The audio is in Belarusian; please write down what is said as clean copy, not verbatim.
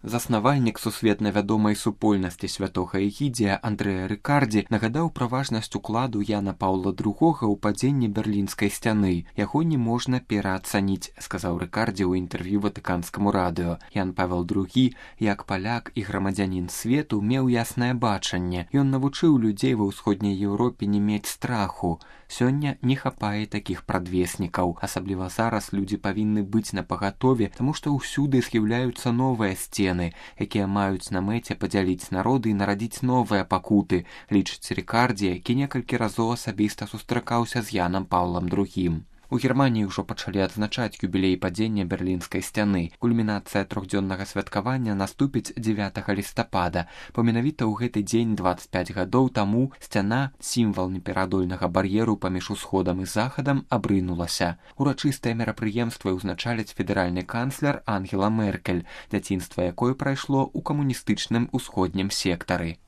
Заснавальнік сусветна вядомай супольнасці святога Эгідзія Андрэа Рыкардзі нагадаў пра важнасць укладу Яна Паўла II ў падзенні берлінскай сцяны. Яго не можна пераацаніць, сказаў Рыкардзі ў інтэрв'ю ватыканскаму радыё. Ян Павел II, як паляк і грамадзянін свету, меў яснае бачанне. Ён навучыў людзей ва ўсходняй Еўропе не мець страху. Сёння не хапае такіх прадвеснікаў. Асабліва зараз людзі павінны быць напагатове, таму што ўсюды з'яўляюцца новыя сцены, якія маюць на мэце падзяліць народы і нарадзіць новыя пакуты, лічыць Рыкардзі, які некалькі разоў асабіста сустракаўся з Янам Паўлам II. У Германіі ўжо пачалі адзначаць юбілей падзення берлінскай сцяны. Кульмінацыя трохдзённага святкавання наступіць 9 лістапада. Менавіта ў гэты дзень 25 гадоў таму сцяна, сімвал непераадольнага бар'еру паміж усходам і захадам, абрынулася. Урачыстыя мерапрыемствы ўзначаліць федэральны канцлер Ангела Меркель, дзяцінства якой прайшло ў камуністычным усходнім сектары.